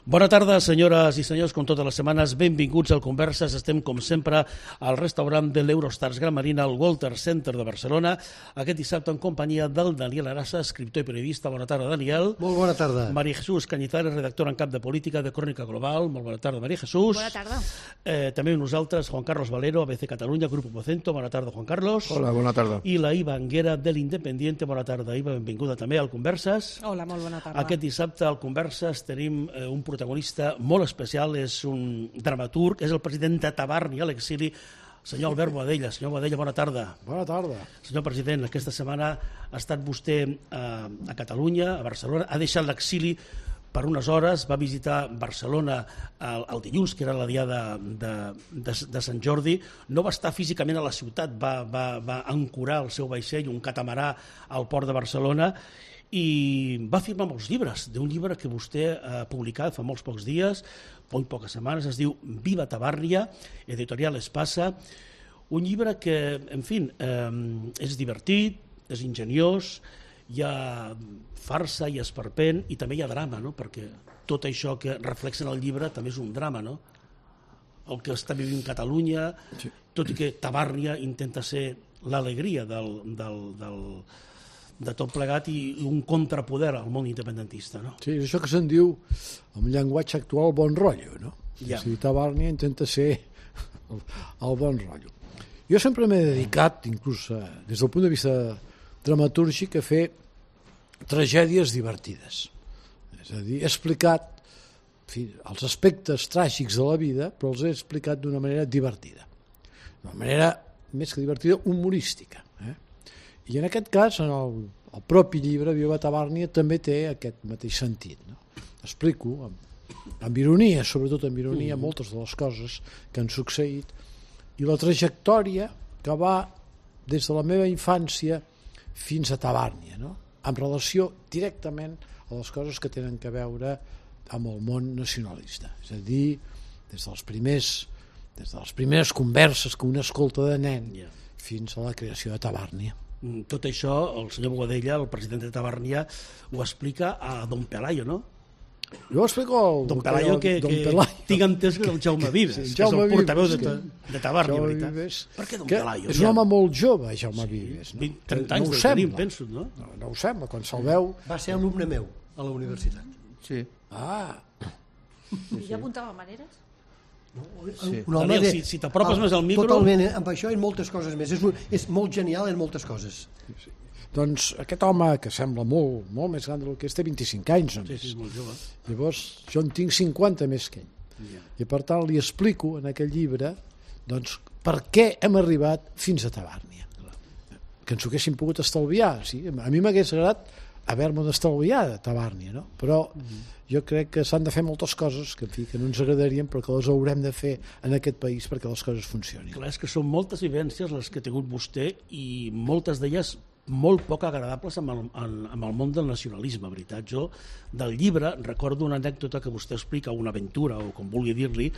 Bona tarda, senyores i senyors, com totes les setmanes, benvinguts al Converses. Estem, com sempre, al restaurant de l'Eurostars Gran Marina, al Walter Center de Barcelona, aquest dissabte en companyia del Daniel Arassa, escriptor i periodista. Bona tarda, Daniel. Molt bona tarda. María Jesús Cañizares, redactora en cap de política de Crònica Global. Molt bona tarda, María Jesús. Bona tarda. També nosaltres, Juan Carlos Valero, ABC Catalunya, Grupo Vocento. Bona tarda, Juan Carlos. Hola, bona tarda. I la Iva Anguera, de l'Independiente. Bona tarda, Iva, benvinguda també al Converses. Hola, molt bona tarda. Aquest dissabte al Converses tenim un protagonista molt especial, és un dramaturg, és el president de Tabarni a l'exili, senyor Albert Boadella. Senyor Boadella, bona tarda. Bona tarda. Senyor president, aquesta setmana ha estat vostè a Catalunya, a Barcelona, ha deixat l'exili per unes hores, va visitar Barcelona el dilluns, que era la dia de Sant Jordi, no va estar físicament a la ciutat, va ancorar el seu vaixell, un catamarà, al port de Barcelona, i va firmar molts llibres, d'un llibre que vostè ha publicat fa molts pocs dies, molt poques setmanes, es diu Viva Tabàrnia, editorial Espasa, un llibre que, en fi, és divertit, és ingeniós, hi ha farsa i esperpent i també hi ha drama, no? Perquè tot això que reflexa en el llibre també és un drama, no? El que està vivint Catalunya, tot i que Tabàrnia intenta ser l'alegria de tot plegat i un contrapoder al món independentista, no? Sí, és això que se'n diu, en llenguatge actual, bon rotllo, no? Ja. O sigui, Tabàrnia intenta ser el bon rotllo. Jo sempre m'he dedicat, inclús des del punt de vista dramatúrgic, a fer tragèdies divertides. És a dir, he explicat els aspectes tràgics de la vida, però els he explicat d'una manera divertida. D'una manera, més que divertida, humorística. I en aquest cas, en el propi llibre, Viva Tabàrnia, també té aquest mateix sentit. No? Explico, amb ironia, sobretot amb ironia, moltes de les coses que han succeït i la trajectòria que va des de la meva infància fins a Tabàrnia, no? En relació directament a les coses que tenen a veure amb el món nacionalista. És a dir, des de les primeres converses que un escolta de nen fins a la creació de Tabàrnia. Tot això, el senyor Boadella, el president de Tabàrnia, ho explica a Don Pelayo, no? Jo ho explico al Don Pelayo, que tinc entès que és el Jaume Vives, que és el portaveu de Tabàrnia, veritat. Per què Don Pelayo? És un home molt jove, Jaume Vives. 30 anys de tenim, penso, no? No ho sembla, quan se'l veu... Va ser alumne meu a la universitat. Sí. I ja apuntava maneres? Un home Daniel, si t'apropes més al micro... Totalment, amb això i moltes coses més. És molt genial en moltes coses. Doncs aquest home, que sembla molt més gran del que és, té 25 anys només. Sí, molt jove. Llavors, jo en tinc 50 més que ell. I per tant li explico en aquell llibre doncs, per què hem arribat fins a Tabàrnia. Que ens ho haguéssim pogut estalviar. Sí? A mi m'hagués agradat haver-me d'estalviar de Tabàrnia, no? Però jo crec que s'han de fer moltes coses que, en fi, que no ens agradarien però que les haurem de fer en aquest país perquè les coses funcionin. Clar, és que són moltes vivències les que ha tingut vostè i moltes d'elles molt poc agradables amb el món del nacionalisme, veritat. Jo del llibre recordo una anècdota que vostè explica, una aventura o com vulgui dir-li,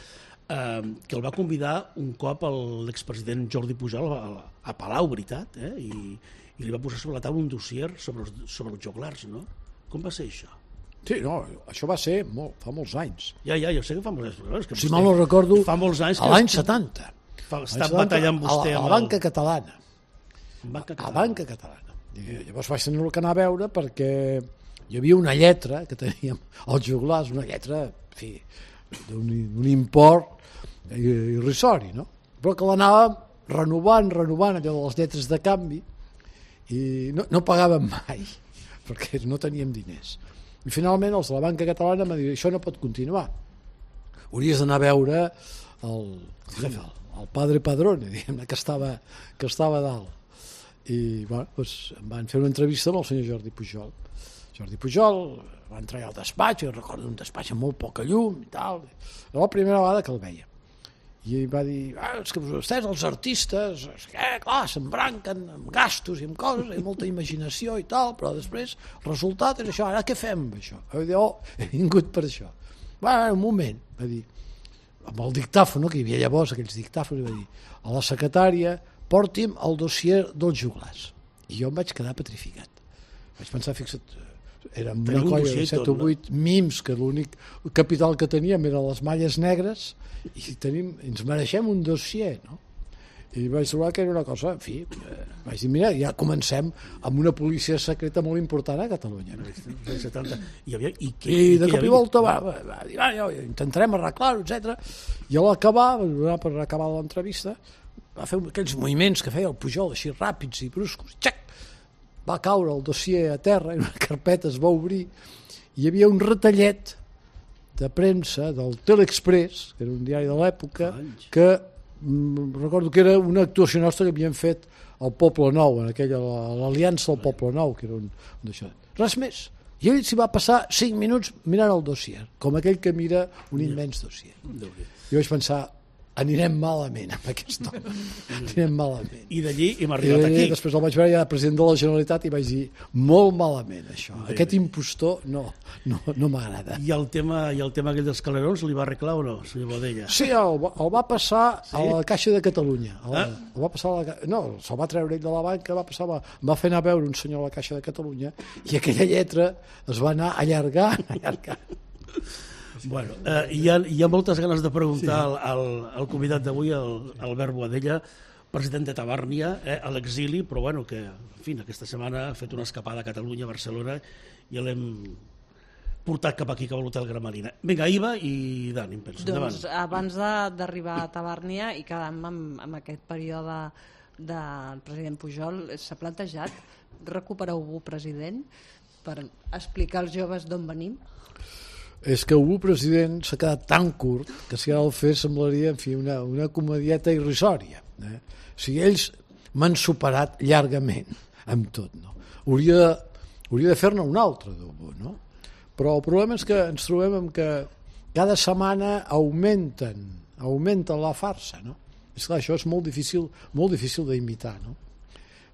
que el va convidar un cop l'expresident Jordi Pujol a Palau, veritat, i li va posar sobre la taula un dossier sobre els joglars, no? Com va ser això? Sí, no, això va ser fa molts anys. Ja, jo sé que fa molts anys. Si mal no recordo, fa molts anys a l'any 70. Està batallant vostè a la banca catalana. A banca catalana. I llavors vaig tenir que anar a veure perquè hi havia una lletra que teníem als joglars, una lletra, en fi, d'un import irrisori, no? Però que l'anàvem renovant allò de les lletres de canvi i no pagàvem mai perquè no teníem diners. I finalment els de la banca catalana m'han dit això no pot continuar, hauries d'anar a veure el padre Padrone, diguem-ne, que estava dalt. I bueno, doncs, em van fer una entrevista amb el senyor Jordi Pujol. Jordi Pujol va entrar al despatx, jo recordo un despatx amb molt poca llum i tal. Era la primera vegada que el veia. I ell va dir, és que vostès, els artistes, clar, s'embranquen amb gastos i amb coses, amb molta imaginació i tal, però després el resultat és això, ara què fem amb això? Va dir, he vingut per això. Un moment, va dir, amb el dictàfon, que hi havia llavors aquells dictàfons, va dir, a la secretària, porti'm el dossier dels joglars. I jo em vaig quedar petrificat. Vaig pensar, fixa't, érem una Teniu un colla dossier de i 7 o tot, 8 mims, que l'únic capital que teníem eren les malles negres, i ens mereixem un dossier, no? I vaig trobar que era una cosa, en fi, vaig dir, mira, ja comencem amb una policia secreta molt important a Catalunya. No? I De cop i volta va dir, intentarem arreglar-ho, etc. I a l'acabar, per acabar l'entrevista, va fer aquells moviments que feia el Pujol, així ràpids i bruscos, xac! Va caure el dossier a terra i una carpeta es va obrir i hi havia un retallet de premsa del Telexpress, que era un diari de l'època, que recordo que era una actuació nostra que havíem fet al Poble Nou, en aquella, l'Aliança del Poble Nou, que era un d'això. Res més. I ell s'hi va passar 5 minuts mirant el dossier, com aquell que mira un immens dossier. Jo vaig pensar, anirem malament amb aquest home, anirem malament. I d'allí hem arribat aquí. Després el vaig veure ja president de la Generalitat i vaig dir, molt malament això, aquest impostor no m'agrada. I el tema aquell dels calerons li va arreglar o no, senyor Boadella? Sí, el va passar a la Caixa de Catalunya. El va passar se'l va treure ell de la banca, va fer anar a veure un senyor a la Caixa de Catalunya i aquella lletra es va anar allargant. Bueno, hi ha moltes ganes de preguntar al convidat d'avui, Albert Boadella, president de Tabàrnia, a l'exili, però bueno, que en fi, aquesta setmana ha fet una escapada a Catalunya, a Barcelona, i l'hem portat cap aquí, cap a l'Hotel Gramalina. Vinga, Iva i Dani, em penso. Doncs abans d'arribar a Tabàrnia i quedant amb aquest període del president Pujol, s'ha plantejat recuperar Ubú president per explicar als joves d'on venim? És que Ubú president s'ha quedat tan curt que si ara el fes semblaria, en fi, una comedieta irrisòria. O sigui, ells m'han superat llargament amb tot, no? Hauria de fer-ne un altre d'Ubú, no? Però el problema és que ens trobem amb que cada setmana augmenten la farsa, no? És clar, això és molt difícil d'imitar, no?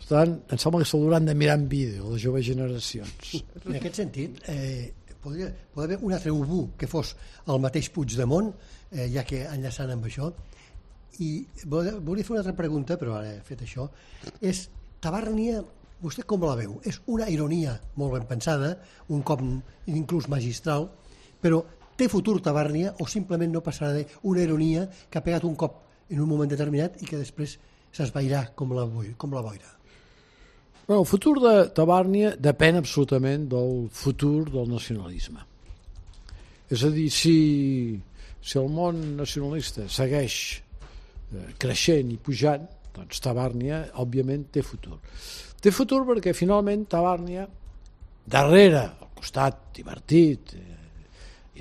Per tant, em sembla que s'hauran de mirar en vídeo les joves generacions. En aquest sentit, podria haver un altre Ubú que fos el mateix Puigdemont, ja que enllaçant amb això. I volia fer una altra pregunta, però ara he fet això. És Tabàrnia, vostè com la veu? És una ironia molt ben pensada, un cop inclús magistral, però té futur Tabàrnia o simplement no passarà d'una ironia que ha pegat un cop en un moment determinat i que després s'esvairà com la boira? El futur de Tabàrnia depèn absolutament del futur del nacionalisme. És a dir, si el món nacionalista segueix creixent i pujant, doncs Tabàrnia, òbviament, té futur. Té futur perquè, finalment, Tabàrnia, darrere, al costat divertit,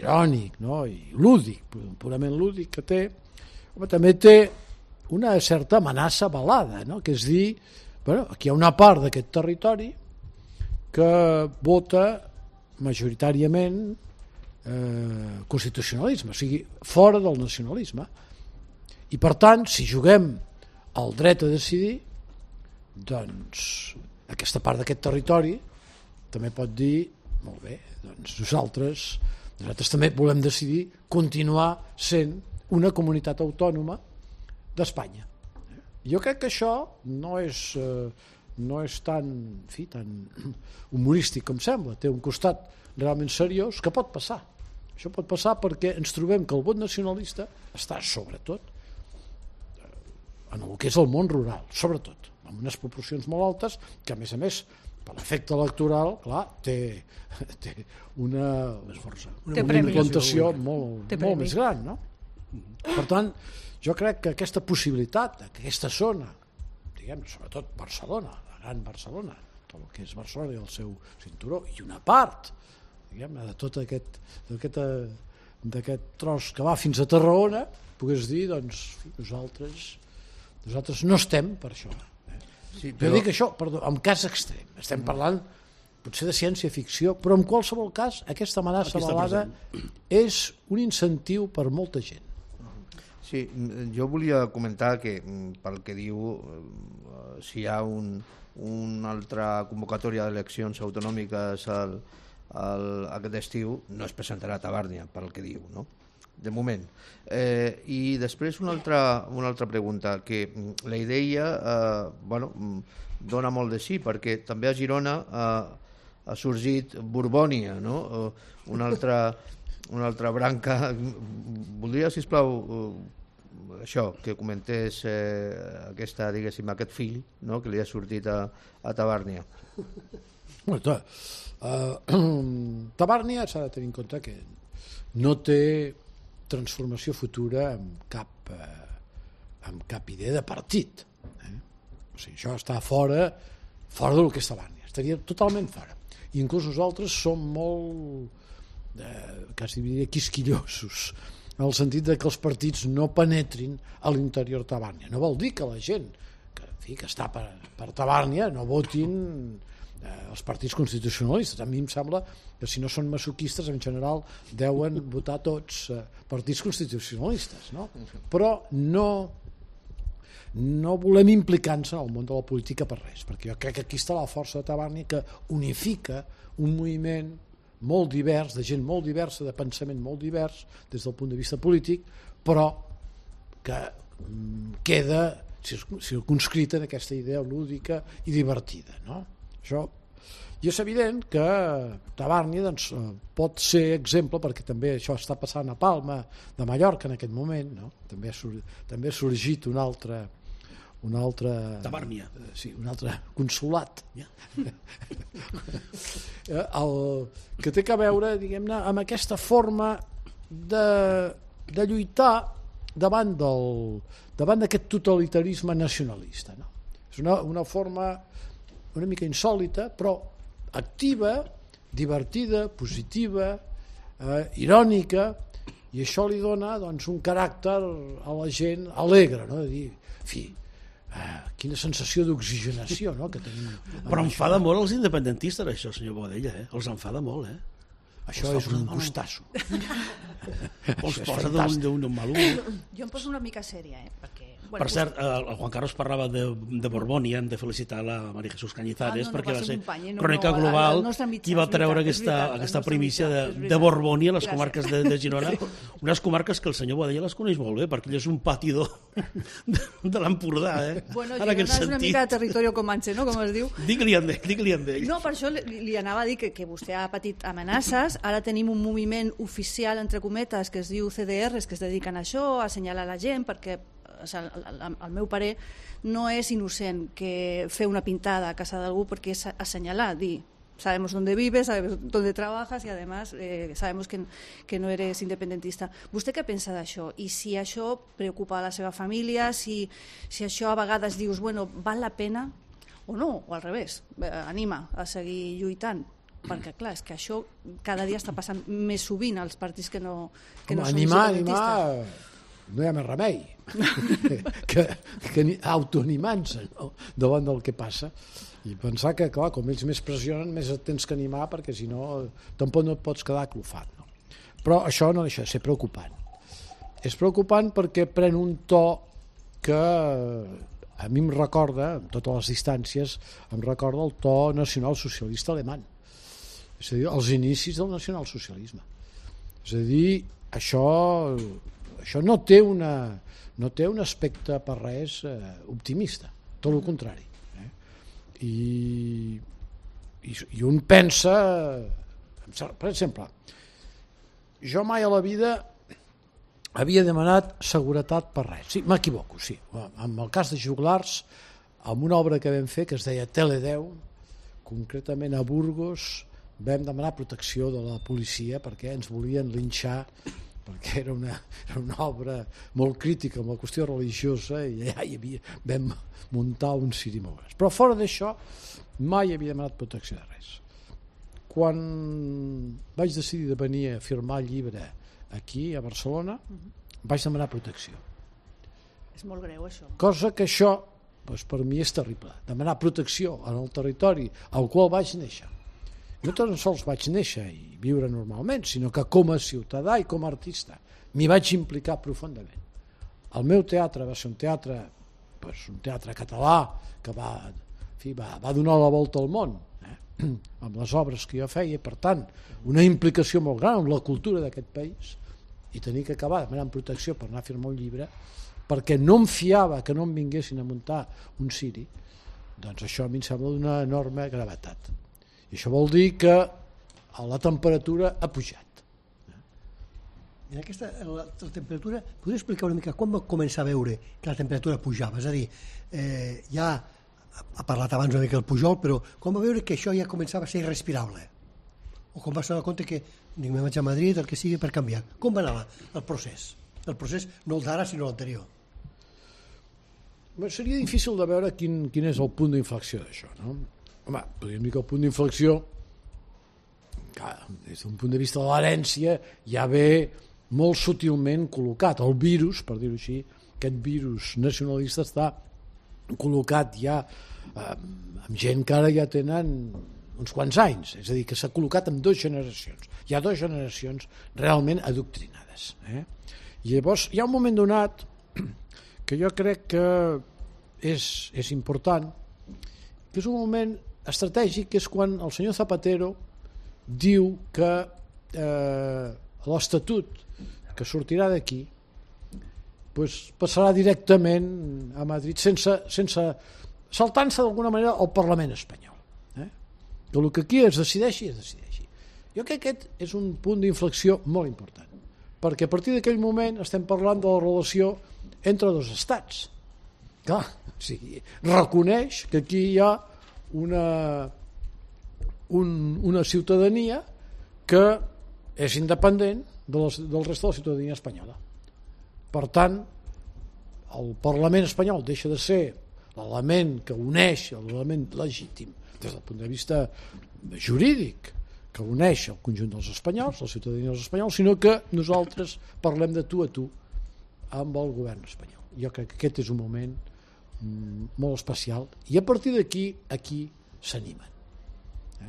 irònic, no? I lúdic, purament lúdic que té, també té una certa amenaça velada, no? Que és dir, aquí hi ha una part d'aquest territori que vota majoritàriament constitucionalisme, o sigui, fora del nacionalisme. I per tant, si juguem al dret a decidir, doncs aquesta part d'aquest territori també pot dir, molt bé, doncs nosaltres també volem decidir continuar sent una comunitat autònoma d'Espanya. Jo crec que això no és tan humorístic com sembla, té un costat realment seriós que pot passar. Això pot passar perquè ens trobem que el vot nacionalista està sobretot en el que és el món rural, sobretot, amb unes proporcions molt altes que, a més, per l'efecte electoral, clar, té una implantació molt més gran, no? Per tant, jo crec que aquesta possibilitat, que aquesta zona, diguem, sobretot Barcelona, la gran Barcelona, tot el que és Barcelona i el seu cinturó, i una part, diguem, de tot d'aquest tros que va fins a Tarragona, pogués dir, doncs, nosaltres no estem per això. Sí, però... Jo dic això, perdó, en cas extrem. Estem parlant potser de ciència-ficció, però en qualsevol cas aquesta amenaça velada és un incentiu per molta gent. Sí, jo volia comentar que, pel que diu, si hi ha una altra convocatòria d'eleccions autonòmiques aquest estiu, no es presentarà a Tabàrnia, pel que diu, no? De moment. I després una altra pregunta, que la idea dona molt de sí, perquè també a Girona ha sorgit Borbònia, no? Una altra branca. Voldria, sisplau, això, que comentés diguéssim, aquest fill, no?, que li ha sortit a Tabàrnia. Tabàrnia s'ha de tenir en compte que no té transformació futura amb cap idea de partit. O sigui, això està fora del que és Tabàrnia, estaria totalment fora. I inclús nosaltres som molt quasi diria quisquillosos, en el sentit de que els partits no penetrin a l'interior de Tabàrnia. No vol dir que la gent que està per Tabàrnia no votin els partits constitucionalistes. A mi em sembla que si no són masoquistes en general deuen votar tots partits constitucionalistes, no? Però no volem implicar-nos en el món de la política per res, perquè jo crec que aquí està la força de Tabàrnia, que unifica un moviment molt divers, de gent molt diversa, de pensament molt divers des del punt de vista polític, però que queda circumscrita en aquesta idea lúdica i divertida, no? Això, i és evident que Tabàrnia doncs, pot ser exemple, perquè també això està passant a Palma de Mallorca en aquest moment, no? També ha sorgit un altre Tabàrnia. Sí, un altre consolat. Que té a veure, diguem-ne, amb aquesta forma de lluitar davant d'aquest totalitarisme nacionalista, no? És una forma una mica insòlita, però activa, divertida, positiva, irònica, i això li dona doncs, un caràcter a la gent alegre, no? De dir, en fi, quina sensació d'oxigenació, no?, que tenim. Però enfada molt els independentistes, això, senyor Boadella, els enfada molt, Això és un gustasso. Els posa d'un mal humor. Jo em poso una mica sèria, perquè... Per cert, el Juan Carlos parlava de Borbònia, hem de felicitar la María Jesús Cañizares, perquè va ser Crònica Global qui va treure aquesta primícia de Borbònia a les comarques de Girona, unes comarques que el senyor Boadella les coneix molt bé, perquè ell és un patidor de l'Empordà. Bueno, Girona és una mica de territori comanche, no?, com es diu. Digue-li amb ell. No, per això li anava a dir que vostè ha patit amenaces. Ara tenim un moviment oficial, entre cometes, que es diu CDRs, que es dediquen a això, a assenyalar la gent, perquè al meu parer no és innocent que fer una pintada a casa d'algú, perquè és assenyalar, dir sabemos dónde vives, sabemos dónde trabajas y además sabemos que no eres independentista. Vostè què pensa d'això? I si això preocupa a la seva família, si això a vegades dius, bueno, val la pena o no, o al revés, anima a seguir lluitant? Perquè clar, és que això cada dia està passant més sovint als partits que no són independentistes. No hi ha més remei que autoanimant-se, no?, davant del que passa, i pensar que, clar, com ells més pressionen, més et tens que animar, perquè si no tampoc no et pots quedar clofat, no? Però això no deixa de ser preocupant. És preocupant perquè pren un to que a mi em recorda, amb totes les distàncies, em recorda el to nacionalsocialista alemany, és a dir, els inicis del nacionalsocialisme. És a dir, això no té un aspecte per res optimista, tot el contrari. I un pensa, per exemple, jo mai a la vida havia demanat seguretat per res. Sí, m'equivoco, sí. En el cas de Joglars, amb una obra que vam fer que es deia Tele10, concretament a Burgos, vam demanar protecció de la policia perquè ens volien linxar, perquè era una obra molt crítica amb la qüestió religiosa, i allà vam muntar un ciri molt gran. Però fora d'això mai havia demanat protecció de res. Quan vaig decidir de venir a firmar el llibre aquí a Barcelona, vaig demanar protecció. És molt greu això. Cosa que això per mi és terrible, demanar protecció en el territori al qual vaig néixer. No tan sols vaig néixer i viure normalment, sinó que com a ciutadà i com a artista m'hi vaig implicar profundament. El meu teatre va ser un teatre català que va donar la volta al món, amb les obres que jo feia, i per tant una implicació molt gran amb la cultura d'aquest país, i tenir que acabar demanant protecció per anar a firmar un llibre perquè no em fiava que no em vinguessin a muntar un ciri, doncs això a mi em sembla d'una enorme gravetat. I això vol dir que la temperatura ha pujat. En aquesta, la temperatura, podria explicar una mica quan va començar a veure que la temperatura pujava? És a dir, ja ha parlat abans una mica el Pujol, però quan va veure que això ja començava a ser irrespirable? O quan va donar compte que dic, me vaig a Madrid, el que sigui, per canviar? Com va anar el procés? El procés no el d'ara, sinó l'anterior. Seria difícil de veure quin és el punt d'inflexió d'això, no? Home, podríem dir que el punt d'inflexió, des d'un punt de vista de l'herència, ja ve molt sutilment col·locat. El virus, per dir-ho així, aquest virus nacionalista està col·locat ja amb gent que ara ja tenen uns quants anys, és a dir, que s'ha col·locat en 2 generacions. Hi ha 2 generacions realment adoctrinades. I llavors hi ha un moment donat que jo crec que és important, que és un moment estratègic, que és quan el senyor Zapatero diu que l'Estatut que sortirà d'aquí passarà directament a Madrid sense saltant-se d'alguna manera al Parlament espanyol. Que el que aquí es decideixi, es decideixi. Jo crec que aquest és un punt d'inflexió molt important, perquè a partir d'aquell moment estem parlant de la relació entre 2 estats. Clar, o sigui, reconeix que aquí hi ha una ciutadania que és independent del resta de la ciutadania espanyola. Per tant, el Parlament espanyol deixa de ser l'element que uneix, l'element legítim des del punt de vista jurídic, que uneix el conjunt dels espanyols, la ciutadania dels espanyols, sinó que nosaltres parlem de tu a tu amb el govern espanyol. Jo crec que aquest és un moment molt especial, i a partir d'aquí aquí s'animen.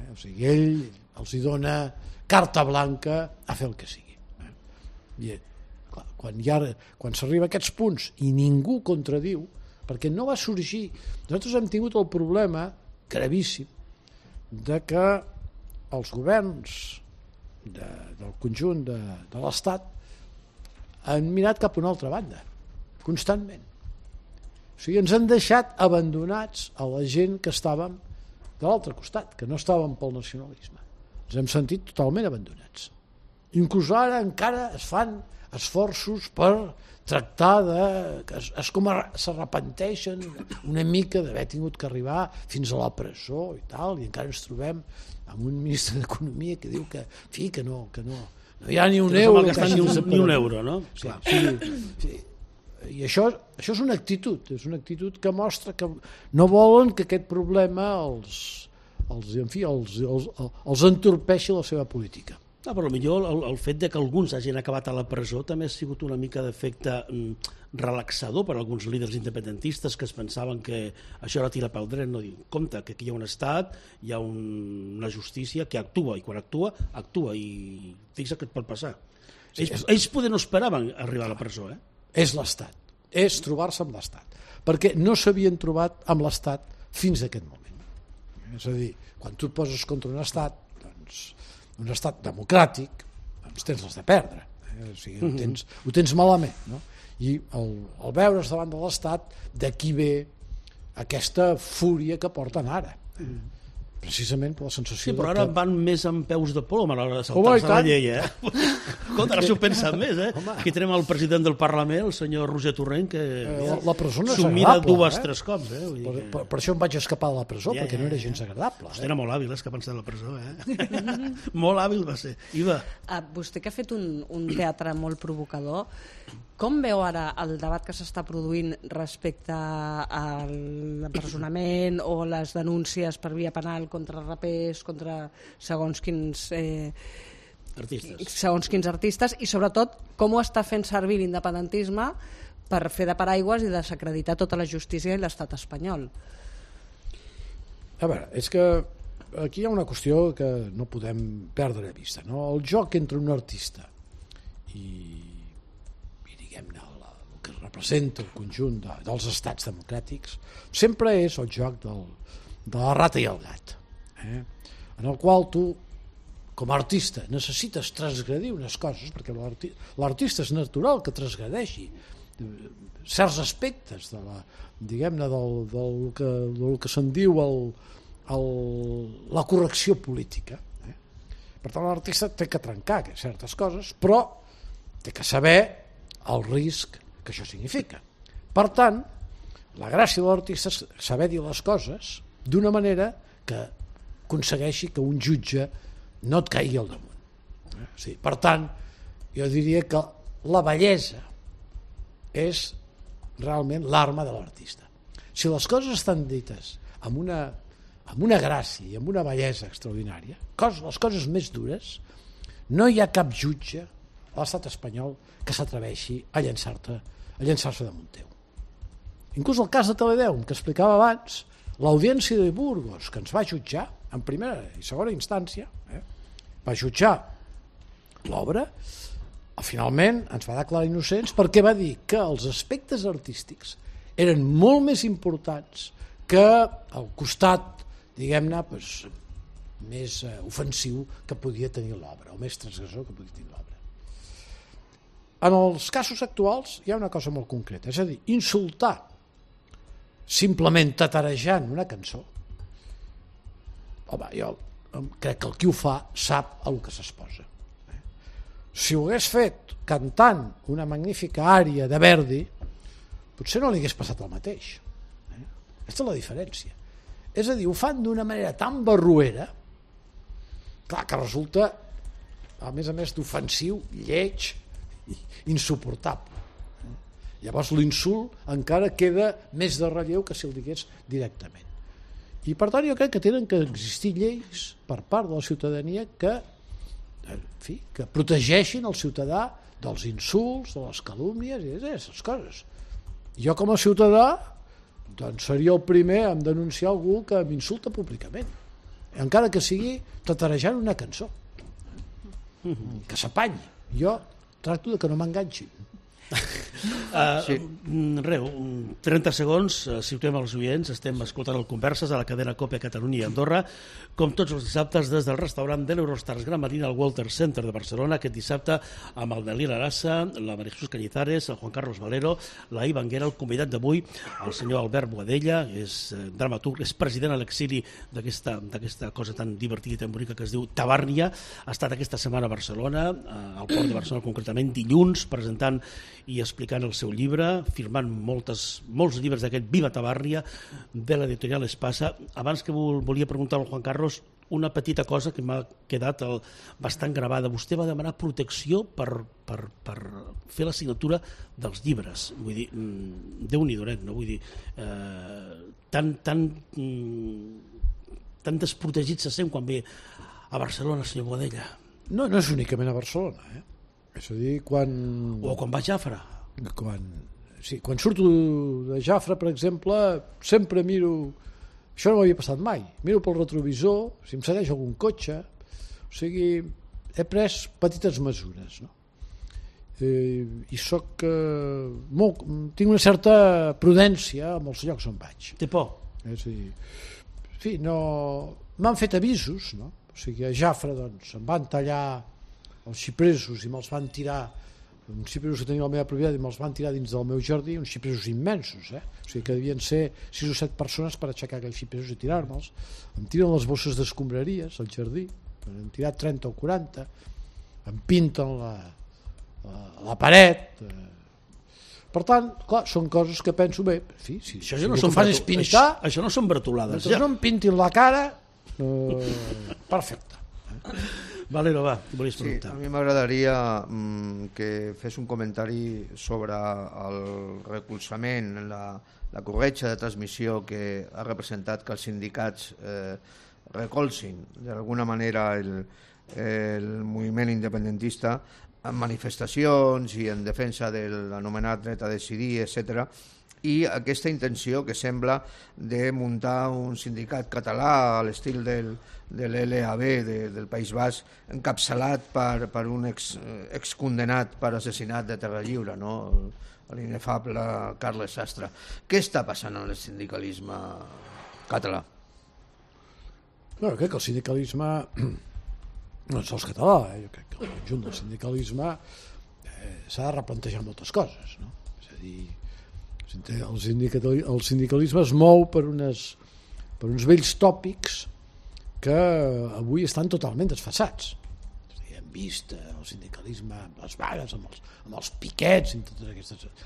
O sigui, ell els hi dona carta blanca a fer el que sigui. I quan s'arriba a aquests punts i ningú contradiu, perquè no va sorgir, nosaltres hem tingut el problema gravíssim de que els governs del conjunt de l'Estat han mirat cap a una altra banda constantment. O sigui, ens han deixat abandonats a la gent que estàvem de l'altre costat, que no estàvem pel nacionalisme. Ens hem sentit totalment abandonats. Inclús ara encara es fan esforços per tractar que és com s'arrepenteixen una mica d'haver tingut que arribar fins a la presó i tal, i encara ens trobem amb un ministre d'Economia que diu que no hi ha ni un euro, ni un euro, no? Sí. I això és una actitud que mostra que no volen que aquest problema els entorpeixi la seva política. Però millor el fet de que alguns hagin acabat a la presó també ha sigut una mica d'efecte relaxador per a alguns líders independentistes que es pensaven que això era tirar pel dret. No, compte, que aquí hi ha un estat, hi ha una justícia que actua, i quan actua, i fixa que et pot passar. Ells poder no esperaven arribar a la presó. És l'Estat, és trobar-se amb l'Estat, perquè no s'havien trobat amb l'Estat fins a aquest moment. És a dir, quan tu et poses contra un estat, doncs un estat democràtic, doncs tens les de perdre, o sigui, ho tens malament, no? I el veure's davant de l'estat, d'aquí ve aquesta fúria que porten ara, precisament per la sensació. Sí, però ara van més amb peus de plom a l'hora de saltar-se la llei, Escolta, ara s'ho pensen més, Aquí tenim el president del Parlament, el senyor Roger Torrent, que s'ho mira 2-3 cops, Per això em vaig escapar de la presó, perquè no era gens agradable. Hosti, era molt hàbil escapant-se de la presó, Molt hàbil va ser. Iva. Vostè que ha fet un teatre molt provocador, com veu ara el debat que s'està produint respecte a l'empresonament o les denúncies per via penal contra rapers, contra segons quins artistes, i sobretot com ho està fent servir l'independentisme per fer de paraigües i desacreditar tota la justícia i l'estat espanyol? A veure, és que aquí hi ha una qüestió que no podem perdre de vista, no? El joc entre un artista i diguem-ne el que representa el conjunt dels estats democràtics sempre és el joc de la rata i el gat, en el qual tu com a artista necessites transgredir unes coses, perquè l'artista és natural que transgredeixi certs aspectes de diguem-ne del que se'n diu la correcció política. Per tant, l'artista té que trencar certes coses, però té que saber el risc que això significa. Per tant, la gràcia de l'artista és saber dir les coses d'una manera que aconsegueixi que un jutge no et caigui al damunt. Sí, per tant, jo diria que la bellesa és realment l'arma de l'artista. Si les coses estan dites amb una gràcia i amb una bellesa extraordinària, les coses més dures, no hi ha cap jutge a l'estat espanyol que s'atreveixi a llançar-se damunt teu. Inclús el cas de Teledeum, que explicava abans, l'audiència de Burgos, que ens va jutjar en primera i segona instància, va jutjar l'obra, finalment ens va declarar innocents perquè va dir que els aspectes artístics eren molt més importants que el costat, diguem-ne, més ofensiu que podia tenir l'obra, o més transgressor que podia tenir l'obra. En els casos actuals hi ha una cosa molt concreta, és a dir, insultar simplement tatarejant una cançó. Home, jo crec que el qui ho fa sap a lo que s'exposa. Si ho hagués fet cantant una magnífica ària de Verdi, potser no li hagués passat el mateix. Aquesta és la diferència. És a dir, ho fan d'una manera tan barroera, clar, que resulta, a més d'ofensiu, lleig, insuportable. Llavors l'insult encara queda més de relleu que si el digués directament. I per tant jo crec que tenen que existir lleis per part de la ciutadania que protegeixin el ciutadà dels insults, de les calúmnies i d'aquestes coses. Jo com a ciutadà doncs seria el primer a denunciar algú que m'insulta públicament, encara que sigui tatarejant una cançó, que s'apanyi. Jo tracto de que no m'enganxin. Sí. 30 segons, situem els oients, estem escoltant el Converses a la cadena COPE a Catalunya i Andorra, com tots els dissabtes des del restaurant de l'Eurostars Gran Marina al Walter Center de Barcelona, aquest dissabte amb el Dalí Larassa, la María Jesús Cañizares, el Juan Carlos Valero, la Iva Anguera, el convidat d'avui, el senyor Albert Boadella, és dramaturg, és president a l'exili d'aquesta cosa tan divertida i tan bonica que es diu Tabàrnia. Ha estat aquesta setmana a Barcelona, al Port de Barcelona concretament, dilluns, presentant i explicant el seu llibre, firmant molts llibres d'aquest Viva Tabàrnia de l'editorial Espasa. Abans que volia preguntar al Juan Carlos una petita cosa que m'ha quedat bastant gravada. Vostè va demanar protecció per fer la signatura dels llibres. Vull dir, Déu-n'hi-do, no? Vull dir, tan desprotegit se sent quan ve a Barcelona, senyor Boadella. No és únicament a Barcelona, És a dir, o quan va a Jafra. Quan surto de Jafra, per exemple, sempre miro... Això no m'havia passat mai. Miro pel retrovisor, si em segueix algun cotxe... O sigui, he pres petites mesures, no? I tinc una certa prudència amb els llocs on vaig. Té por? És a dir, en fi, no... M'han fet avisos, no? O sigui, a Jafra, doncs, em van tallar els xipresos i me'ls van tirar, uns xipresos que tenia la meva propietat i me'ls van tirar dins del meu jardí, uns xipresos immensos, o sigui que devien ser 6 o 7 persones per aixecar aquells xipresos i tirar-me'ls. Em tiren les bosses d'escombraries al jardí, hem tirat 30 o 40, em pinten la paret. Per tant, clar, són coses que penso, bé, en fi, si el que fan és pintar, això no són bretolades. Mentre no em pintin la cara, perfecte. Valero, va, t'ho volies preguntar. Sí, a mi m'agradaria que fes un comentari sobre el recolzament, la corretja de transmissió que ha representat que els sindicats recolzin d'alguna manera el moviment independentista en manifestacions i en defensa de l'anomenat dret a decidir, etc. I aquesta intenció que sembla de muntar un sindicat català a l'estil de l'LAB del País Basc, encapçalat per un excondenat per assassinat de Terra Lliure, no? L'inefable Carles Sastre. Què està passant en el sindicalisme català? No, crec que el sindicalisme no és sols català, jo crec que el conjunt del sindicalisme s'ha de replantejar moltes coses, no? És a dir, el sindicalisme es mou per unes per uns vells tòpics que avui estan totalment desfasats. Hem vist el sindicalisme amb les vagues, amb els piquets,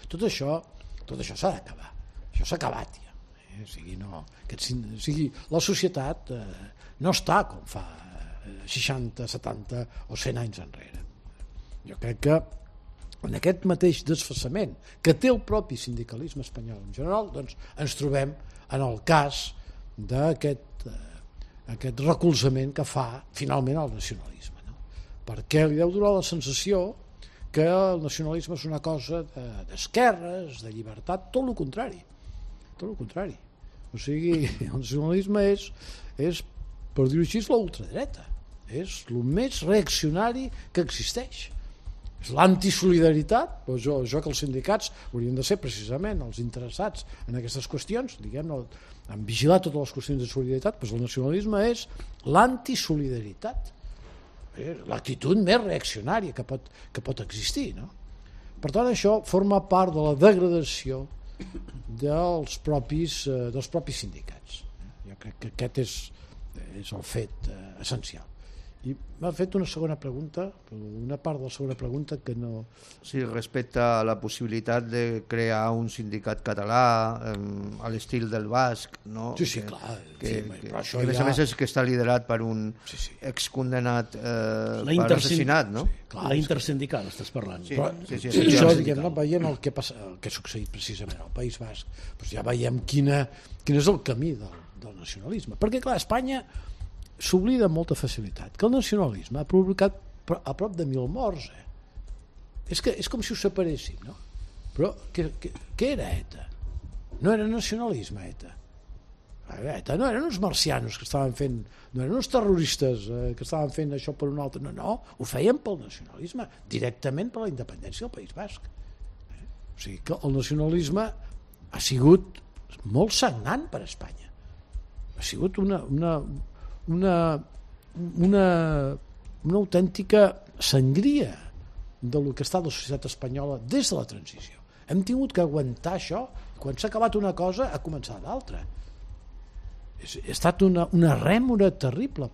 tot això s'ha d'acabar. Això s'ha acabat ja. La societat no està com fa 60, 70 o 100 anys enrere. Jo crec que en aquest mateix desfasament que té el propi sindicalisme espanyol en general, doncs ens trobem en el cas d'aquest recolzament que fa finalment el nacionalisme, no? Perquè li deu donar la sensació que el nacionalisme és una cosa d'esquerres, de llibertat, tot el contrari. O sigui, el nacionalisme és per dir-ho així, la ultradreta. És el més reaccionari que existeix. És l'antisolidaritat, doncs jo que els sindicats haurien de ser precisament els interessats en aquestes qüestions, diguem-ne, en vigilar totes les qüestions de solidaritat, doncs el nacionalisme és l'antisolidaritat. L'actitud més reaccionària que pot existir, no? Per tant, això forma part de la degradació dels propis sindicats. Jo crec que aquest és el fet essencial. I m'ha fet una segona pregunta, una part de la segona pregunta que no... Sí, respecte a la possibilitat de crear un sindicat català a l'estil del basc, no? Sí, clar. Però això a més és que està liderat per un excondenat per assassinat, no? La intersindical, estàs parlant. Sí, això, diguem-ne, veient el que ha succeït precisament al País Basc, doncs ja veiem quin és el camí del nacionalisme. Perquè, clar, Espanya s'oblida amb molta facilitat que el nacionalisme ha provocat a prop de 1.000 morts. És com si ho separéssim, no? Però què era ETA? No era nacionalisme, ETA. ETA no eren uns marcianos que estaven fent, no eren uns terroristes que estaven fent això per un altre, no, ho feien pel nacionalisme, directament per la independència del País Basc. O sigui que el nacionalisme ha sigut molt sagnant per Espanya. Ha sigut una autèntica sangria del que està la societat espanyola des de la transició. Hem tingut que aguantar això, quan s'ha acabat una cosa ha començat l'altra. Ha estat una rèmora terrible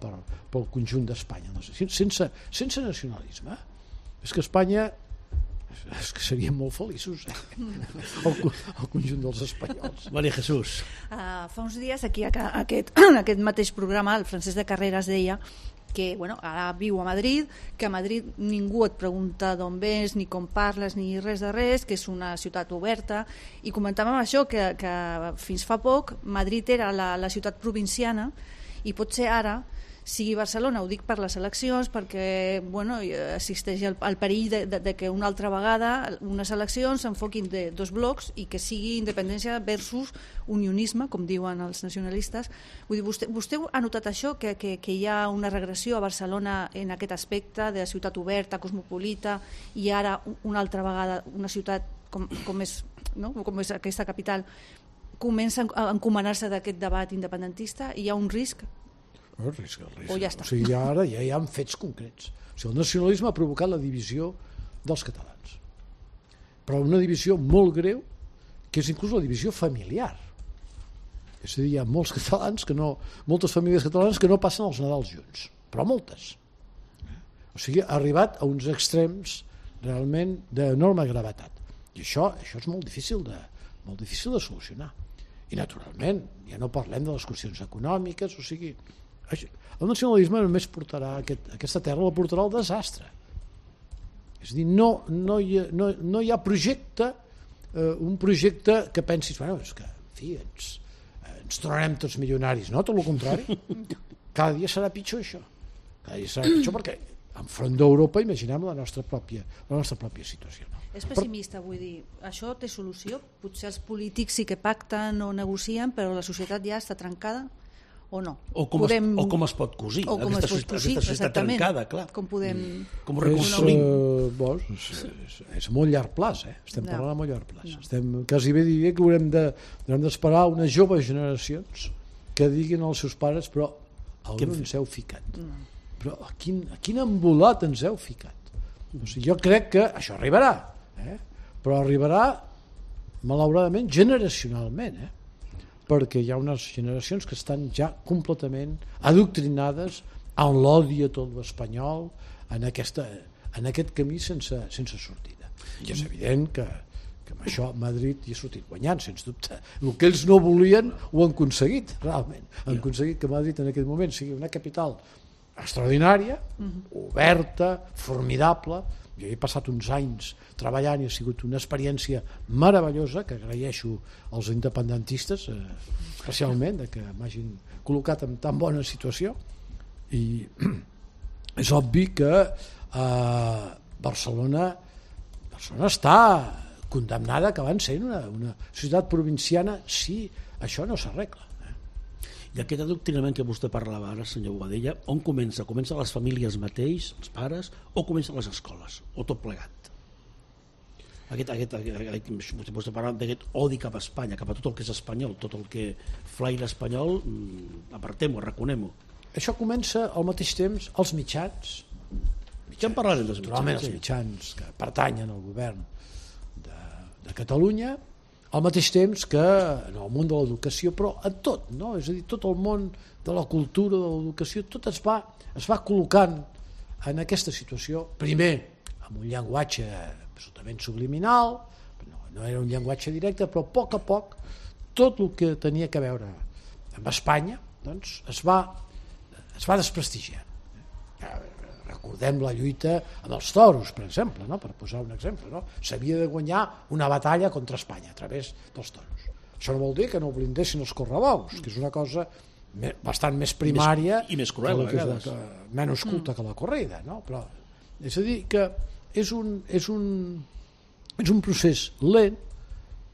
pel conjunt d'Espanya. Sense nacionalisme és que Espanya seríem molt feliços, el conjunt dels espanyols. Maria Jesús. Fa uns dies aquí en aquest mateix programa el Francesc de Carreras deia que ara viu a Madrid, que a Madrid ningú et pregunta d'on vens, ni com parles, ni res de res, que és una ciutat oberta, i comentàvem això, que fins fa poc Madrid era la ciutat provinciana i potser ara sigui Barcelona. Ho dic per les eleccions, perquè existeix el perill de que una altra vegada unes eleccions s'enfoquin de dos blocs i que sigui independència versus unionisme, com diuen els nacionalistes. Vull dir, vostè ha notat això, que hi ha una regressió a Barcelona en aquest aspecte de ciutat oberta, cosmopolita, i ara una altra vegada una ciutat com és aquesta capital comença a encomanar-se d'aquest debat independentista? Hi ha un risc? El risc. O ja està. O sigui, ara ja hi ha fets concrets. O sigui, el nacionalisme ha provocat la divisió dels catalans. Però una divisió molt greu, que és inclús la divisió familiar. És a dir, hi ha moltes famílies catalanes que no passen els Nadals junts, però moltes. O sigui, ha arribat a uns extrems realment d'enorme gravetat. I això és molt difícil de solucionar. I naturalment, ja no parlem de les qüestions econòmiques, o sigui, el nacionalisme només portarà aquesta terra, la portarà al desastre. És a dir, no hi ha projecte, un projecte que pensis, és que, en fi, ens tornarem tots milionaris. No, tot el contrari. Cada dia serà pitjor això. Cada dia serà pitjor perquè enfront d'Europa imaginem la nostra pròpia situació. És pessimista, vull dir, això té solució? Potser els polítics sí que pacten o negocien, però la societat ja està trencada? O no? O com es pot cosir aquesta societat trencada, clar. Com ho reconstruïm? És a molt llarg plaç, estem parlant a molt llarg plaç. Quasi bé diria que haurem d'esperar unes joves generacions que diguin als seus pares, però on ens heu ficat? Però a quin embolat ens heu ficat? O sigui, jo crec que això arribarà, però arribarà malauradament generacionalment. perquè hi ha unes generacions que estan ja completament adoctrinades en l'odi a tot l'espanyol, en aquest camí sense sortida. I és evident que amb això Madrid hi ha sortit guanyant, sens dubte. El que ells no volien ho han aconseguit, realment. Han aconseguit que Madrid en aquest moment sigui una capital extraordinària, oberta, formidable. Jo he passat uns anys treballant i ha sigut una experiència meravellosa que agraeixo als independentistes, especialment, que m'hagin col·locat en tan bona situació. I és obvi que Barcelona està condemnada que van ser una ciutat provinciana si això no s'arregla. I aquest adoctrinament que vostè parlava ara, senyor Boadella, on comença? Comença a les famílies mateix, els pares, o comença a les escoles, o tot plegat? Vostè parla d'aquest odi cap a Espanya, cap a tot el que és espanyol, tot el que flaire espanyol, apartem-ho, arraconem-ho. Això comença al mateix temps als mitjans. Ja en parlarem dels mitjans. Els mitjans que pertanyen al govern de Catalunya, al mateix temps que en el món de l'educació, però en tot, no? És a dir, tot el món de la cultura, de l'educació, tot es va col·locant en aquesta situació, primer amb un llenguatge absolutament subliminal, no era un llenguatge directe, però a poc tot el que tenia que veure amb Espanya doncs, es va desprestigiar. Recordem la lluita amb els toros, per exemple, no? Per posar un exemple, no? S'havia de guanyar una batalla contra Espanya a través dels toros. Això no vol dir que no blindessin els correbous, que és una cosa bastant més primària i més cruel, a vegades. Menys culta que la corrida, no? Però, és a dir, que és un procés lent,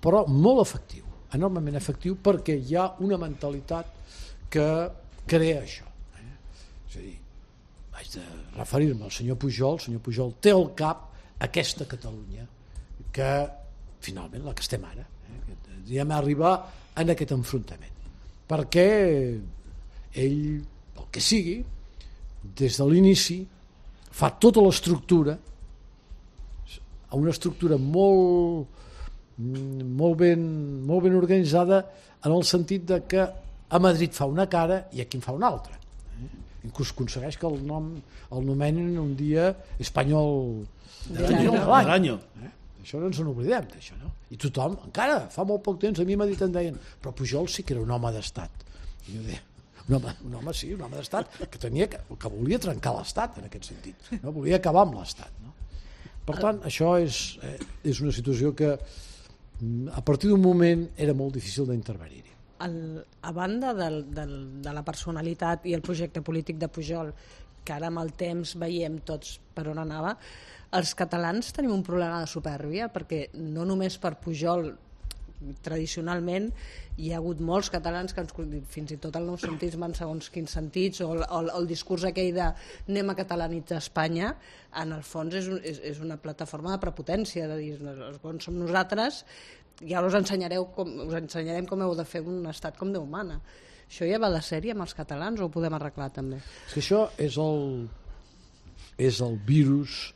però molt efectiu, enormement efectiu, perquè hi ha una mentalitat que crea això. És a dir, vaig de referir-me al senyor Pujol. El senyor Pujol té al cap aquesta Catalunya que finalment la que estem ara, diem arribar en aquest enfrontament, perquè ell, el que sigui, des de l'inici fa tota l'estructura, una estructura molt ben organitzada, en el sentit de que a Madrid fa una cara i aquí en fa una altra. Inclús aconsegueix que el nomenen un dia espanyol de l'any. Això no ens n'oblidem d'això, no? I tothom, encara fa molt poc temps, a mi m'ha dit, em deien, però Pujol sí que era un home d'estat. I jo deia, un home d'estat que volia trencar l'estat en aquest sentit, no? Volia acabar amb l'estat, no? Per tant, això és una situació que a partir d'un moment era molt difícil d'intervenir-hi. A banda de la personalitat i el projecte polític de Pujol, que ara amb el temps veiem tots per on anava, els catalans tenim un problema de supèrbia, perquè no només per Pujol, tradicionalment hi ha hagut molts catalans que fins i tot el nou sentisme en segons quins sentits, o el discurs aquell de anem a catalanitzar Espanya, en el fons és una plataforma de prepotència, de dir, els bons som nosaltres, i ara us ensenyarem com heu de fer un estat com Déu mana. Això ja va de sèrie amb els catalans o ho podem arreglar també? És que això és el virus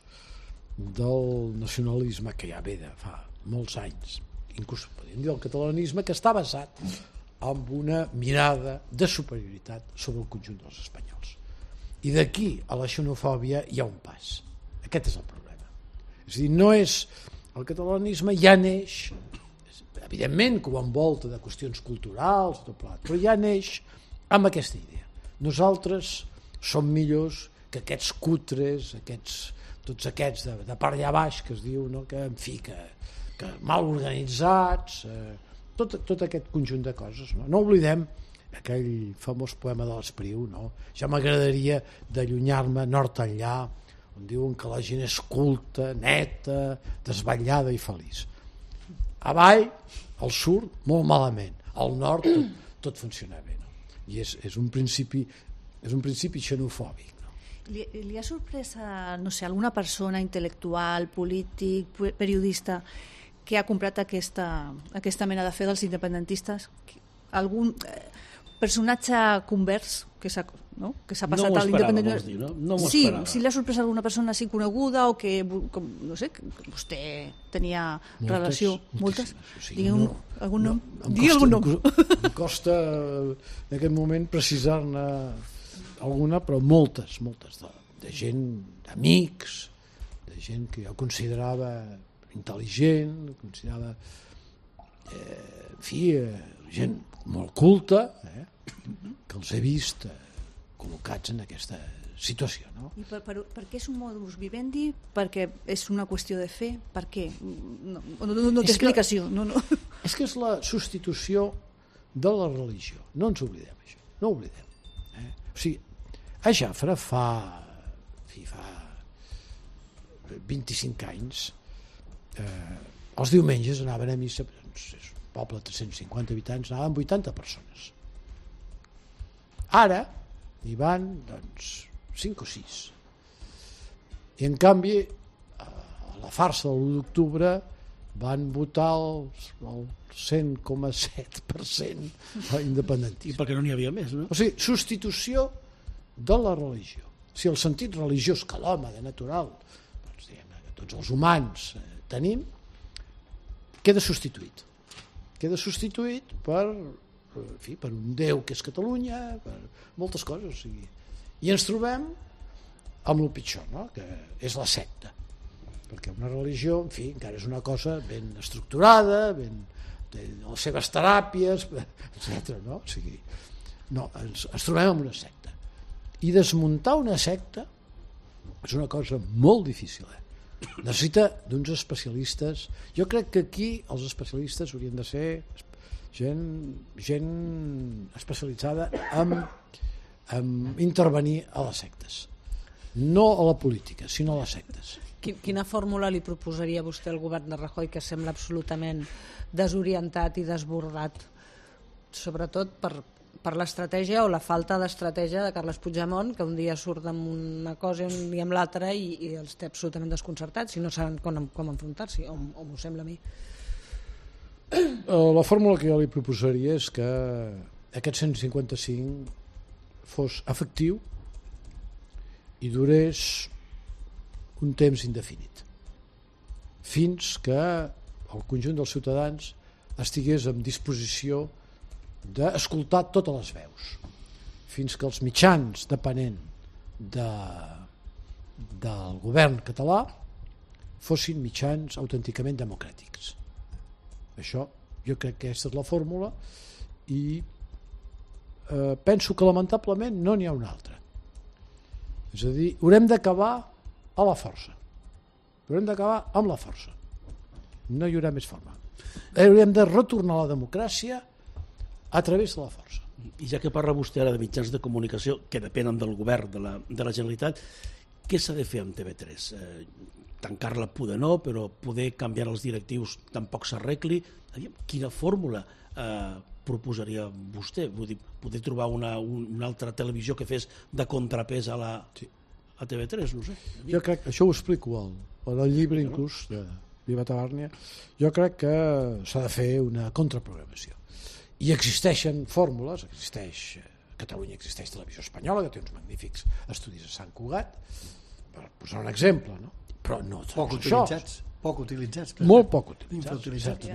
del nacionalisme que ja ve de fa molts anys, inclús podríem dir el catalanisme, que està basat en una mirada de superioritat sobre el conjunt dels espanyols. I d'aquí a la xenofòbia hi ha un pas. Aquest és el problema. És a dir, no és... El catalanisme ja neix, evidentment que ho envolta de qüestions culturals, però ja neix amb aquesta idea. Nosaltres som millors que aquests cutres, tots aquests de per allà baix, que es diu, no? Que, en fi, que mal organitzats, tot aquest conjunt de coses. No oblidem aquell famós poema de l'Espriu, no? Ja m'agradaria d'allunyar-me nord enllà, on diuen que la gent és culta, neta, desvetllada i feliç. Avall, al sud, molt malament. Al nord, tot funciona bé. No? I és un principi xenofòbic. No? Li ha sorprès no sé, alguna persona intel·lectual, polític, periodista que ha comprat aquesta mena de fe dels independentistes? personatge convers que s'ha passat No m'ho a esperava, l'independent. vols dir, no? No m'ho Sí, esperava. si li ha sorprès alguna persona així coneguda o que, no sé, que vostè tenia relació. Moltes? O sigui, Digui algun nom. em Digui algun nom. Em costa en aquest moment precisar-ne alguna, però moltes de gent, d'amics, de gent que jo considerava intel·ligent, considerava en fi, gent molt culta, que els he vist col·locats en aquesta situació. No? I per què és un modus vivendi? Perquè és una qüestió de fe? Per què? No té explicació. És que és la substitució de la religió. No ens oblidem, això. No ho oblidem. O sigui, a Jafre fa 25 anys els diumenges anaven a missa, doncs, és un poble de 350 habitants, anaven 80 persones. Ara hi van, doncs, 5 o 6. I, en canvi, a la farsa de l'1 d'octubre van votar el 100,7% a independentisme. I perquè no n'hi havia més, no? O sigui, substitució de la religió. Si el sentit religiós que l'home de natural, doncs, diguem, que tots els humans tenim, queda substituït. Queda substituït per un Déu que és Catalunya, per moltes coses. O sigui. I ens trobem amb el pitjor, no? Que és la secta. Perquè una religió, en fi, encara és una cosa ben estructurada, té les seves teràpies, etc. No? O sigui, ens trobem amb una secta. I desmuntar una secta és una cosa molt difícil. Necessita d'uns especialistes. Jo crec que aquí els especialistes haurien de ser gent especialitzada en intervenir a les sectes, no a la política, sinó a les sectes. Quina fórmula li proposaria vostè al govern de Rajoy, que sembla absolutament desorientat i desbordat, sobretot per l'estratègia o la falta d'estratègia de Carles Puigdemont, que un dia surt amb una cosa i un dia amb l'altra i els té absolutament desconcertats i no saben com enfrontar-s'hi, o m'ho sembla a mi. La fórmula que jo li proposaria és que aquest 155 fos efectiu i durés un temps indefinit, fins que el conjunt dels ciutadans estigués en disposició d'escoltar totes les veus, fins que els mitjans depenent del govern català fossin mitjans autènticament democràtics. Això, jo crec que aquesta és la fórmula i penso que lamentablement no n'hi ha una altra. És a dir, haurem d'acabar a la força. Haurem d'acabar amb la força. No hi haurà més forma. Haurem de retornar a la democràcia a través de la força. I ja que parla vostè ara de mitjans de comunicació que depenen del govern de la Generalitat, què s'ha de fer amb TV3? Tancar-la poder no, però poder canviar els directius tampoc s'arregli. Quina fórmula proposaria vostè? Vull dir, poder trobar una altra televisió que fes de contrapès a TV3, no sé. Jo crec, això ho explico al llibre inclús de Viva Tabàrnia, jo crec que s'ha de fer una contraprogramació. I existeixen fórmules, a Catalunya existeix Televisió Espanyola, que té uns magnífics estudis a Sant Cugat, per posar un exemple, no? Però no poc utilitzats. Poc utilitzats. Molt poc utilitzats. Infrautilitzats.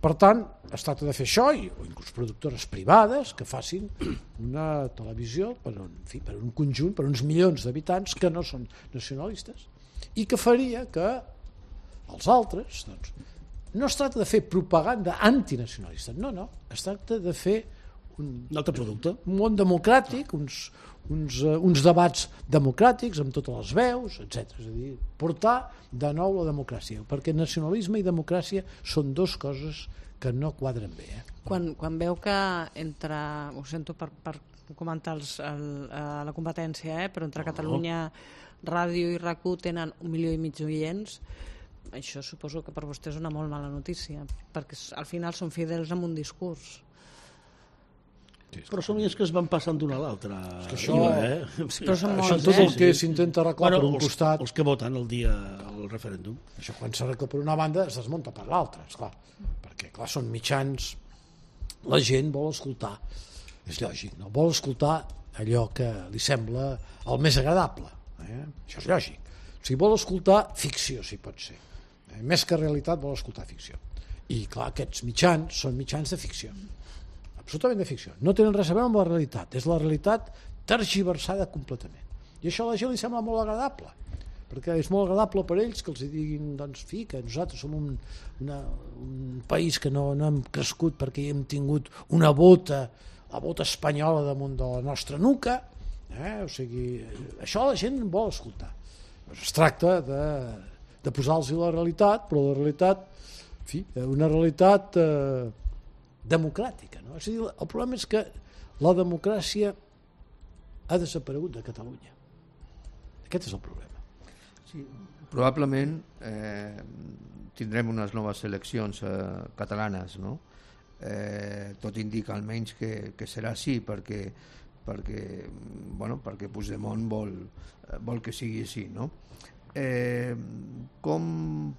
Per tant, es tracta de fer això, o inclús productores privades que facin una televisió per un conjunt, per uns milions d'habitants que no són nacionalistes, i que faria que els altres, doncs, no es tracta de fer propaganda antinacionalista, no, es tracta de fer un altre producte, un món democràtic, uns debats democràtics amb totes les veus, etc. És a dir, portar de nou la democràcia, perquè nacionalisme i democràcia són dues coses que no quadren bé. Quan veu que entre, ho sento per comentar la competència, però entre Catalunya Ràdio i RAC1 tenen 1,5 milió d'oients, això suposo que per vostè és una molt mala notícia, perquè al final són fidels amb un discurs. Però són els que es van passant d'una a l'altra. Però són Això molts, tot el que s'intenta arreglar per un costat. Els que voten el dia al referèndum. Això quan s'arregla per una banda es desmunta per l'altra, esclar. Perquè clar, són mitjans la gent vol escoltar, és lògic, no? Vol escoltar allò que li sembla el més agradable, això és lògic. O sigui, vol escoltar ficció, si pot ser. Més que realitat vol escoltar ficció. I clar, aquests mitjans són mitjans de ficció, absolutament de ficció. No tenen res a veure amb la realitat, és la realitat tergiversada completament. I això a la gent li sembla molt agradable, perquè és molt agradable per ells que els diguin, doncs, que nosaltres som un país que no hem crescut perquè hem tingut una bota, la bota espanyola damunt de la nostra nuca, o sigui, això la gent vol escoltar. Es tracta de posar-los la realitat, però la realitat, en fi, una realitat democràtica, no? És a dir, el problema és que la democràcia ha desaparegut de Catalunya. Aquest és el problema. Sí, probablement tindrem unes noves eleccions catalanes, no? Tot indica almenys que serà així, perquè Puigdemont vol que sigui així, no? Com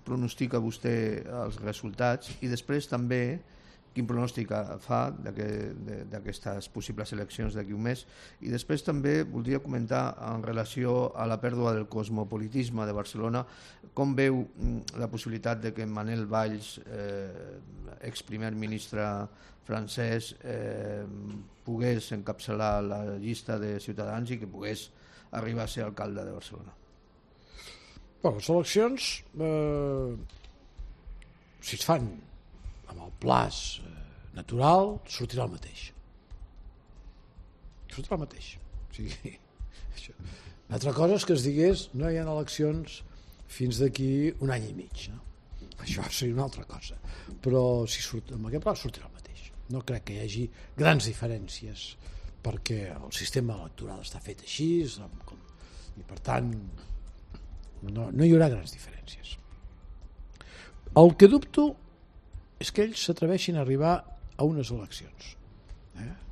pronostica vostè els resultats i després també quin pronòstic fa d'aquestes possibles eleccions d'aquí un mes? I després també voldria comentar en relació a la pèrdua del cosmopolitisme de Barcelona, com veu la possibilitat de que Manel Valls, exprimer ministre francès, pogués encapçalar la llista de Ciutadans i que pogués arribar a ser alcalde de Barcelona? Les eleccions, si es fan amb el plaç natural, sortirà el mateix. Sortirà el mateix. O sigui, una altra cosa és que es digués no hi ha eleccions fins d'aquí un any i mig. No? Això seria una altra cosa. Però si surt, amb aquest plaç sortirà el mateix. No crec que hi hagi grans diferències perquè el sistema electoral està fet així i per tant no hi haurà grans diferències. El que dubto és que ells s'atreveixin a arribar a unes eleccions,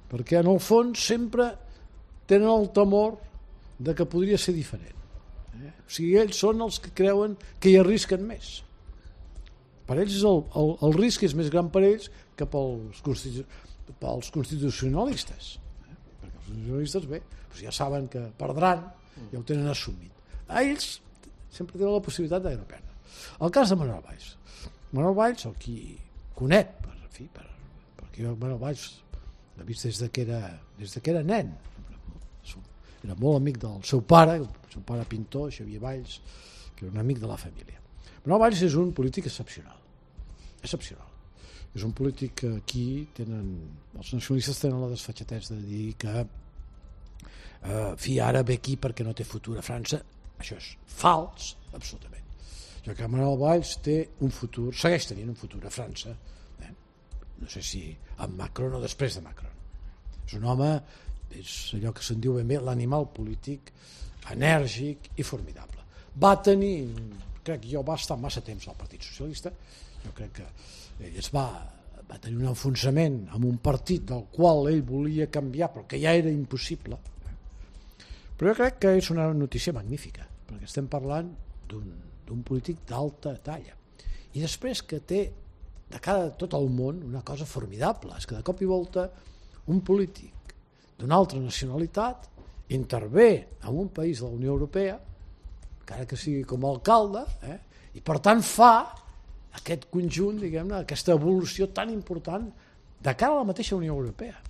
perquè en el fons sempre tenen el temor de que podria ser diferent. O sigui, ells són els que creuen que hi arrisquen més. Per ells el risc és més gran per ells que pels constitucionalistes, perquè els constitucionalistes ja saben que perdran, ja ho tenen assumit. A ells sempre tenen la possibilitat de no perdre. El cas de Manuel Valls, el qui conec, perquè jo Manuel Valls l'he vist des que era nen, era molt amic del seu pare pintor, Xavier Valls, que era un amic de la família. Manuel Valls és un polític excepcional. És un polític que aquí els nacionalistes tenen la desfatxatesa de dir que ara ve aquí perquè no té futur a França. Això és fals, absolutament. Jo crec que Manuel Valls té un futur, segueix tenint un futur a França, no sé si amb Macron o després de Macron. És un home, és allò que se'n diu ben bé, l'animal polític enèrgic i formidable. Va estar massa temps al Partit Socialista, jo crec que ell va tenir un enfonsament amb un partit del qual ell volia canviar, però que ja era impossible. Però jo crec que és una notícia magnífica, perquè estem parlant d'un polític d'alta talla. I després que té de cara a tot el món una cosa formidable, és que de cop i volta un polític d'una altra nacionalitat intervé en un país de la Unió Europea, encara que sigui com a alcalde, i per tant fa aquest conjunt, diguem-ne, aquesta evolució tan important de cara a la mateixa Unió Europea.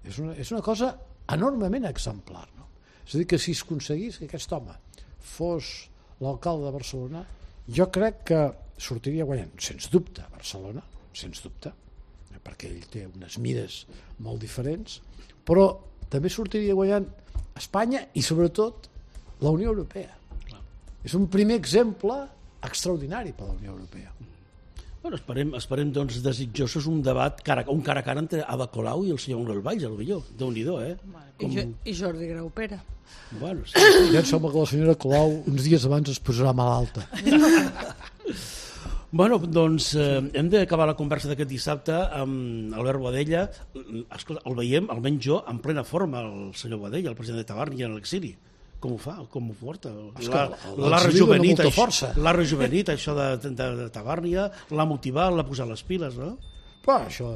És una cosa enormement exemplar, no? És a dir, que si es aconseguís que aquest home fos l'alcalde de Barcelona, jo crec que sortiria guanyant, sens dubte, Barcelona, sens dubte, perquè ell té unes mires molt diferents, però també sortiria guanyant Espanya i, sobretot, la Unió Europea. És un primer exemple extraordinari per la Unió Europea. Bueno, esperem doncs, desitjosos un debat un cara a cara entre Ada Colau i el senyor Manuel Valls, potser. Déu-n'hi-do, I Jordi Graupera. Bueno, sí. Ja em sembla que la senyora Colau uns dies abans es posarà malalta. Bueno, doncs hem d'acabar la conversa d'aquest dissabte amb Albert Boadella. Escolta, el veiem, almenys jo, en plena forma, el senyor Boadella, el president de Tabarnia en l'exili. Com ho fa? Com ho porta? L'ha rejuvenit, això de Tabarnia, l'ha motivat, l'ha posat les piles, no? Però això,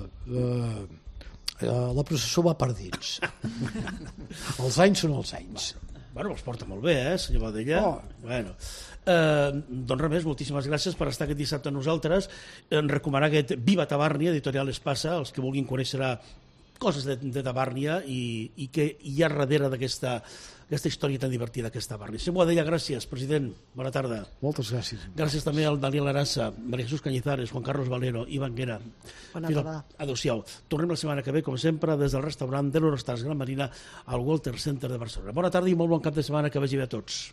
La processó va per dins. Els anys són els anys. Bueno, els porta molt bé, senyor Badella? Bueno. Doncs res més, moltíssimes gràcies per estar aquest dissabte amb nosaltres. Recomanar aquest Viva Tabàrnia, editorial Espasa, els que vulguin conèixer coses de Tabàrnia i què hi ha darrere d'aquesta història tan divertida que és Tabàrnia. Senyor Badella, gràcies, president. Bona tarda. Moltes gràcies. Gràcies també al Daniel Arassa, María Jesús Cañizares, Juan Carlos Valero, Ivan Guera. Bona tarda. Adéu-siau. Tornem la setmana que ve, com sempre, des del restaurant de l'Eurostars Gran Marina al Walter Center de Barcelona. Bona tarda i molt bon cap de setmana, que vagi bé a tots.